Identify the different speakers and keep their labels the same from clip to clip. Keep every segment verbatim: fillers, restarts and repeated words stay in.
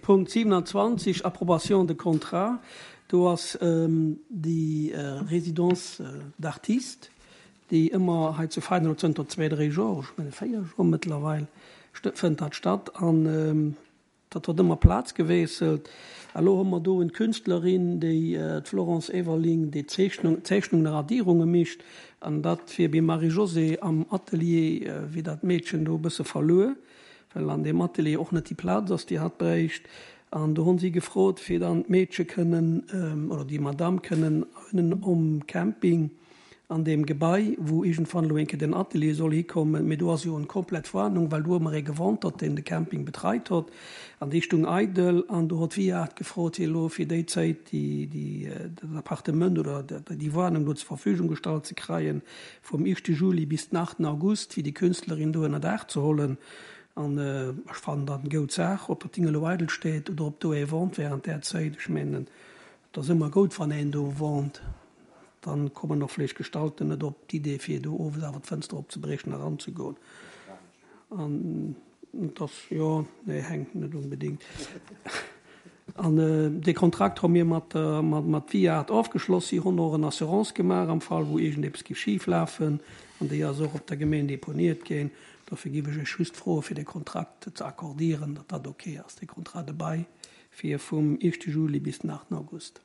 Speaker 1: Punkt siewenundzwanzeg, Approbation de contrat. Do ass déi Résidence d'artistes, déi ëmmer hei zu Veinen elo zënter zwee, dräi Joer, ech menge véier Joer mëttlerweil, fënnt dat statt. An dat huet ëmmer Plaz gewiesselt. A lo hu mer do en Künstlerin, déi, d'Florence Everling, déi Zeechnung, Zeechnungen a Radierunge mécht. An dat wier beim Marie-Josée am Atelier, wier dat Meedchen do e bësse verluer, well an deem Atelier och net déi Plaz ass, déi hatt bréicht. An do hunn si gefrot, fir dann d'Meedche kënnen, oder déi Madame kënnen ënnen um Camping an deem Gebai, wou iergendwann elo eng Kéier den Atelier soll hikommen, mee do ass jo en komplett Warnung, well do ëmmer ee gewohnt huet, deen de Camping betreit huet, an déi stung eidel, an do huet d'Viart gefrot, fir elo fir déi Zäit déi, déi, dat Appartement oder déi Warnung do zur Verfügung gestallt ze kreien, vum éischte Juli bis den achten August, fir déi Künstlerin do ënner Daach ze hollen. An ech fannen dat eng goud Saach, ob dat Ding elo eidel steet oder ob do ee wohnt während där Zäit. Ech mengen, et ass ëmmer goud, wann een do wohnt. Dann kommen och vläicht Gestalten net op d'Idee, fir do owes awer d'Fënster opzebriechen a eranzegoen. An et ass, jo, nee, hänkt net onbedéngt. An dee Kontrakt hu mir mat der, mat, mat Viart ofgeschloss. Si hunn och en Assurance gemaach am Fall, wou iergendeppes géif schif lafen. An déi ass och op der Gemeen deponiert ginn. Dofir géif ech Iech just froen, fir dee Kontrakt ze accordieren, datt dat ok ass, dee Contrat de bail fir vum éischte Juli bis den aachten August.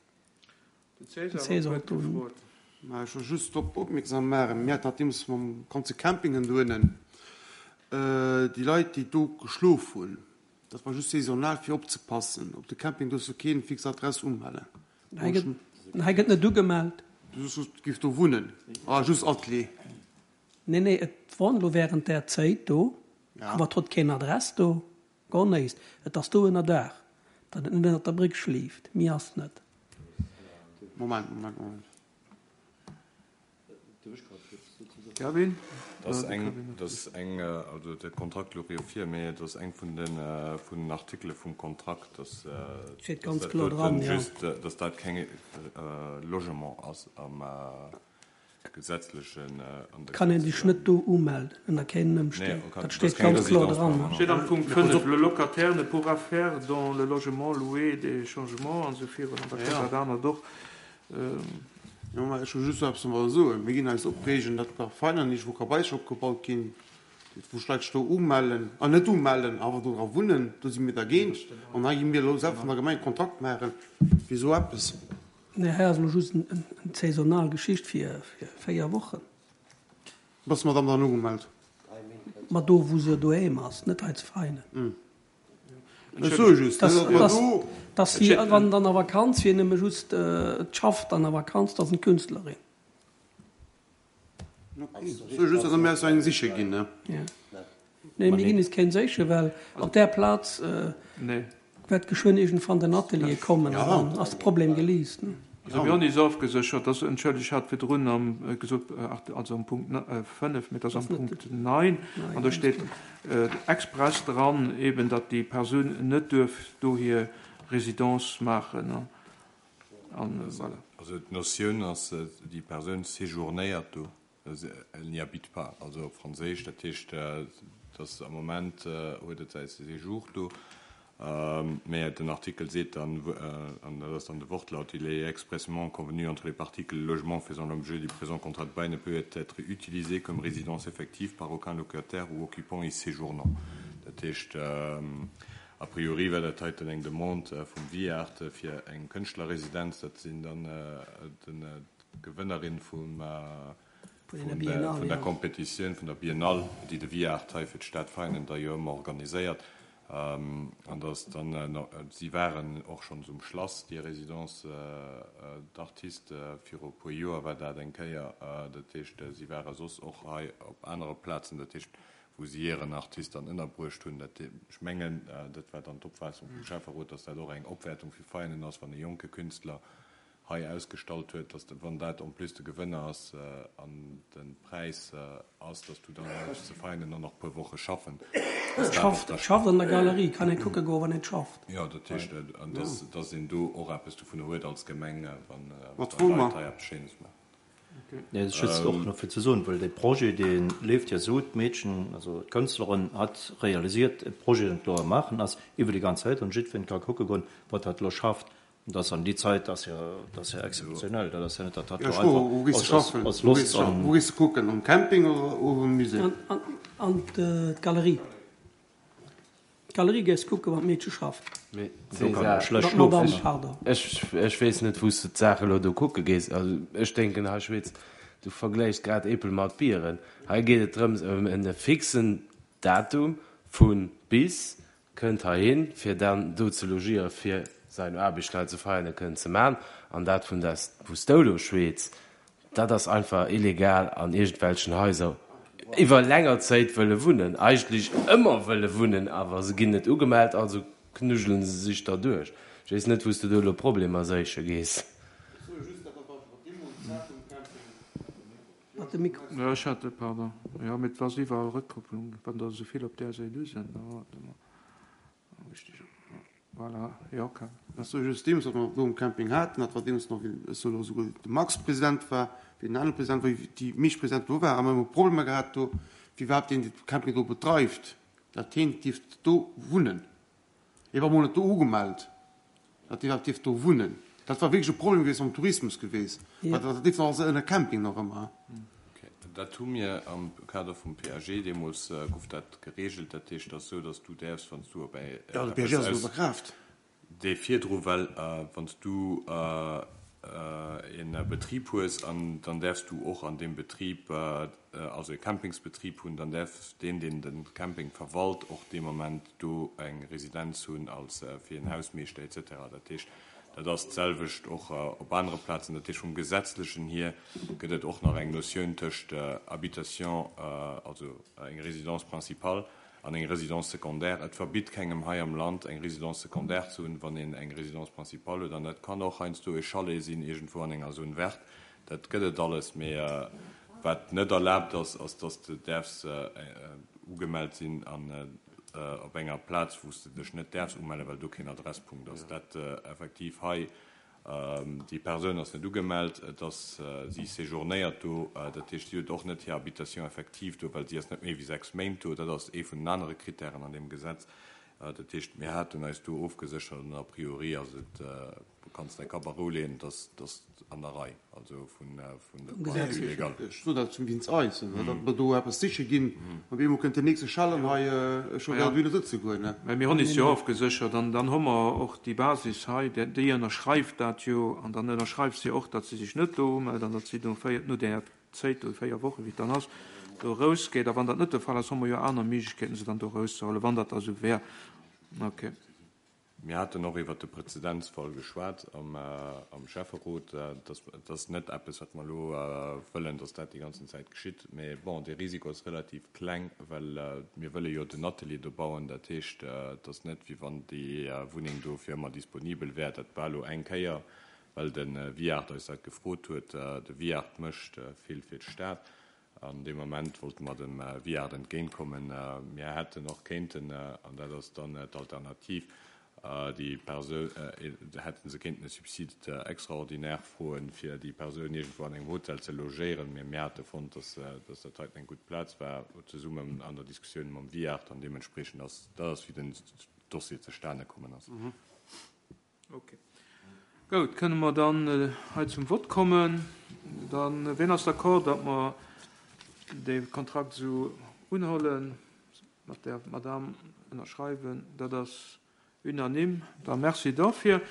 Speaker 2: Den César huet d'Wuert gefrot.
Speaker 3: Mä ech wëll just drop opmierksam maachen, mir haten dat deemools mam ganze Campingen dohinnen, déi Leit, déi do geschlof hunn, dat war just saisonal fir opzepassen op de Camping, do duerfs du keen fix Adress umellen.
Speaker 1: Hei gëtt, hei gëtt net ugemellt.
Speaker 3: Du soss just giff do wunnen, ah just Atelier.
Speaker 1: Nee, nee, et wor elo während där Zéit do, awer et hott keen Adress do, gor néist. Et ass do ënner Daach, datt et net ënnert der Bréck schliift, mi ass net.
Speaker 3: Moment, Moment, Moment.
Speaker 2: Kevin?
Speaker 4: Dat ass eng, dat ass eng, also de Kontrakt louch jo vir, mee et ass eng vun de, vun den Artikele vum Kontrakt, dass,
Speaker 1: Steet
Speaker 4: dass
Speaker 1: ganz
Speaker 4: dat
Speaker 1: kloer
Speaker 4: doten
Speaker 1: dran, jo.
Speaker 4: just, dass dat keng Logement ass am gesetzlechen, an der
Speaker 1: Kann een sech
Speaker 4: gesetzlecher.
Speaker 1: net do umelden ënner kenen
Speaker 4: Nee,
Speaker 1: Ëmstänn.
Speaker 4: kann,
Speaker 1: Dat
Speaker 4: dat ass
Speaker 1: steet
Speaker 4: keng
Speaker 1: ganz kloer
Speaker 4: Résidence
Speaker 1: dran.
Speaker 4: permanente.
Speaker 2: Steet am Punkt fënnef, Le locataire ne pourra faire dans le logement loué des changements an esou virun, an da kënnt dat anert och.
Speaker 3: Jo, mä ech wëll just eppes domadder soen. Mir ginn eis opreegen, datt bei Veianen iergendwou Kabaiser opgebaut ginn, wou sech Leit sech do umellen, ah net umellen, awer do dra wunnen. Do si mir dergéint. An hei gi mir elo selwer vun der Gemeng Kontrakt maache fir esou eppes.
Speaker 1: Nee, hei ass elo just eng saisonal Geschicht fir véier Wochen.
Speaker 3: Ass d'Madame dann ugemellt?
Speaker 1: Ma do, wou se doheem ass, net hei zu Veianen.
Speaker 3: Ech soe just,
Speaker 1: Dass,
Speaker 3: datt mer
Speaker 1: dass,
Speaker 3: do.
Speaker 1: dass si, wann dann a Vakanz wier, nëmme just schafft an a Vakanz, dass eng Künstlerin.
Speaker 3: Ech soe just, datt mir eis eng siche ginn, ne?
Speaker 1: Ja. Nee, mir ginn eis keng séiche, well op där Plaz wäert geschwënn iergendwann den Atelier kommen an dann ass de Problem geliist, ne?
Speaker 2: Also mir hunn is ofgeséchert, dass, entschëllegt, ech hat virdrun am gesot, also am Punkt fënnef, mee et ass am Punkt neun, an do steet express dran eben, datt déi Persoun net duerf do hir Résidence maachen. An voilà.
Speaker 4: Also d'Notioun ass, déi Persoun séjournéiert do. Elle n'y habite pas, also op Franséisch. Dat heescht, dass am Moment huet et säi Séjour do, mä den Artikel seet dann, an dat ass dann de Wortlaut, Il est expressément convenu entre les parties que le logement faisant l'objet du présent contrat de bail ne peut être utilisé comme résidence effective par aucun locataire ou occupant y séjournant. Dat heescht, a priori war dat heiten eng Demande vum Viart fir eng Kënschtlerresidenz. Dat sinn dann d'Gewënnerin vum vun der Competitioun vun der Biennale, déi de Viart hei fir d'Stad Veianen da jo ëmmer organiséiert. An dass dann, si waren och schonns um Schlass, déi Résidence d'artistes, viru e puer Joer war dat eng Kéier. Dat heescht, si ware soss och hei op anere Plazen, dat heescht, wou si hiren Artist dann ënnerbruecht hunn. Dat, ech mengen, dat war dann d'Opfaassung vum Schäfferot, dass dat och eng Opwäertung fir Veianen ass, wann e jonke Künstler hei ausgestallt huet, dass wann dat en plus de Gewënner ass an de Präis ass, dass du dann och ze Veinen dann nach e puer Woche schaffen.
Speaker 1: Et schafft, et schafft an der Galerie, kann ee kucke goen, wann een schafft.
Speaker 4: Jo, dat heescht, an dass, dass een do och eppes dovunner huet als Gemeng, wann Leit hei eppes Schéines maachen.
Speaker 5: Nee, just och nach fir ze soen, well de Projet, dee leeft jo esou, d'Meedchen, also d'Kënstlerin hat realisiert, e Projet, deen elo am Maachen ass, iwwer déi ganz Zäit, an jiddwereen ka kucke goen, wat hatt elo schafft. An dat ass an déi Zäit ass jo, dat ass jo exzeptionell, dat ass jo net, datt hatt
Speaker 3: Jo,
Speaker 5: elo
Speaker 3: ech froe, wou
Speaker 5: einfach
Speaker 3: gees de
Speaker 5: aus, aus,
Speaker 3: schaffen?
Speaker 5: aus
Speaker 3: Wou gees
Speaker 5: Loscht
Speaker 3: de schaffen?
Speaker 5: an.
Speaker 3: Wou gees de kucken? Am Camping oder am Musée?
Speaker 1: An, an, an d'Galerie. D'Galerie gees kucken, wann d'Meedche schafft.
Speaker 6: Mee
Speaker 5: Do kann
Speaker 6: César,
Speaker 5: ee schlecht
Speaker 1: Mat Madame,
Speaker 5: schlofen.
Speaker 1: pardon.
Speaker 6: ech, ech weess net, wou s de d'Saach elo do kucke gees. Also ech denken, hei schwätz, du vergläichs grad Äppel mat Bieren. Hei geet et drëms ëm en fixen Datum vu bis kënnt heihin, fir dann do ze logieren, fir seine Aarbecht hei zu Veianen kënnen ze man. An dat vun das, wou s du do schwätz, dat ass einfach illegal an irgendwelchen Häuser iwwer länger Zäit wëlle wunnen. Eigentlech ëmmer wëlle wunnen, awer se ginn net ugemellt, also knuddelen se sech da duerch. Ech weess net, wou s du do elo Problemer siche gees.
Speaker 1: Mat dem Mikro.
Speaker 2: Jo, ech hat, pardon. Jo, mee et war iwwerall Rëckkopplung, wann der esou vill op där Säit u sinn. Da warte mol. Richtig. Voilà, jo, okay.
Speaker 3: Dat ass just deemools, wat mer do um Camping haten, dat war deemools nach, wéi ech soll elo souguer de Max President war, wéi den anere President war, wéi déi meescht Presidenten do waren, a mer hu Problemer gehat do, wéi iwwerhaapt deen, deen de Camping do bedreift, dat heen dierft do wunnen. Hie war mol net do ugemellt, dat hie iwwerhaapt dierft do wunnen. Dat war wierklech e Problem gewiescht am Tourismus gewiescht, well dat leeft nach alles ënner Camping nach ëmmer.
Speaker 4: Okay. Dat hu mir am Kader vum P A G deemools gouf dat geregelt. Dat heescht, et ass esou, datt du däerfs, wann s du op eng
Speaker 3: Jo, de P A G
Speaker 4: eppes
Speaker 3: ass elo
Speaker 4: aus
Speaker 3: a Kraaft.
Speaker 4: Dee virdru, well wann s du e Betrib hues an dann däerfs du och an deem Betrib, also e Campingsbetrib hunn, dann däerf deen, deen de Camping verwalt, och dee Moment do eng Residenz hunn als fir en Hausmeeschter et cetera. Dat heescht, dat ass d'selwecht och op anere Plazen. Dat heescht, vum Gesetzlechen hier gëtt et och nach eng Notioun tëscht Habitation, also eng Résidence principale an eng Résidence secondaire. Et verbitt kengem hei am Land, eng Résidence secondaire ze hunn, wann een eng Résidence principale huet. An dat kann och heiansdo e Chalet sinn iergendwou an enger Zone verte. Dat gëtt et alles. Mee wat net erlaabt ass, ass, dass de däerfs ugemellt sinn an op enger Plaz, wou s de dech net däerfs umellen, well do keen Adresspunkt ass. Dat effektiv hei, déi Persoun ass net ugemellt, et ass, si séjournéiert do, dat heescht, si huet och net hir Habitation effective do, well si ass net méi wéi sechs Méint do. Dat ass ee vun den anere Kritären an deem Gesetz. Dat heescht, mir haten eis do ofgeséchert an a priori ass et, du kanns däi Kapp a Rou leeën, dass dass an der Rei, also vun vun der
Speaker 1: Vum
Speaker 4: Partie
Speaker 1: Gesetz hier.
Speaker 4: légal.
Speaker 3: Ech sot dat zum wéinst eis, datt mer do eppes siche ginn, op eemol kënnt den nächste Schellen hei, ech hu
Speaker 2: Ja.
Speaker 3: grad wéi sëtze goen, ne?
Speaker 2: Mä mir hunn is jo ofgeséchert an dann hu mer och déi Basis hei, déi déi ënnerschreift dat jo an dann ënnerschreift si och, datt si sech net do umellt an datt si no véier, no där Zäit do, véier Woche wéi et dann ass, do erausgeet. A wann dat net de Fall ass, hu mer jo aner Méiglechkeeten, se dann do erauszehuelen, wann dat da sou wär. Okay.
Speaker 4: Mir haten och iwwert de Präzedenzfall geschwat am, am Schäfferot. Dat, dat ass net eppes, wat mer elo wëllen, dass dat déi ganzen Zäit geschitt. Mee bon, de Risiko ass relativ kleng, well mir wëlle jo den Atelier do bauen. Dat heescht, et ass net, wéi wann déi Wunneng do fir ëmmer disponibel wär. Dat war elo eng Kéier, well de Viard eis dat gefrot huet. De Viard mécht vill fir d'Stad. An deem Moment wollte mer dem Viard entgéintkommen. Mir hätten och kéinten, an dat ass dann d'Alternativ, déi Persoun, hätte se kéinten e Subside extraordinaire froen, fir déi Persoun iergendwou an engem Hotel ze logéieren. Mee mir hate fonnt, dass dat heiten eng gutt Plaz war, zesummen an der Diskussioun mam Viard, an deementspreechend ass dat ass, wéi den Dossier zustane kommen ass.
Speaker 2: Okay. Goud, kënne mer dann hei zum Vott kommen? Dann, wien ass d'accord, datt mer de Kontrakt esou unhuelen, mat der Madame ënnerschreiwen? Dat ass unanime. Da merci dofir.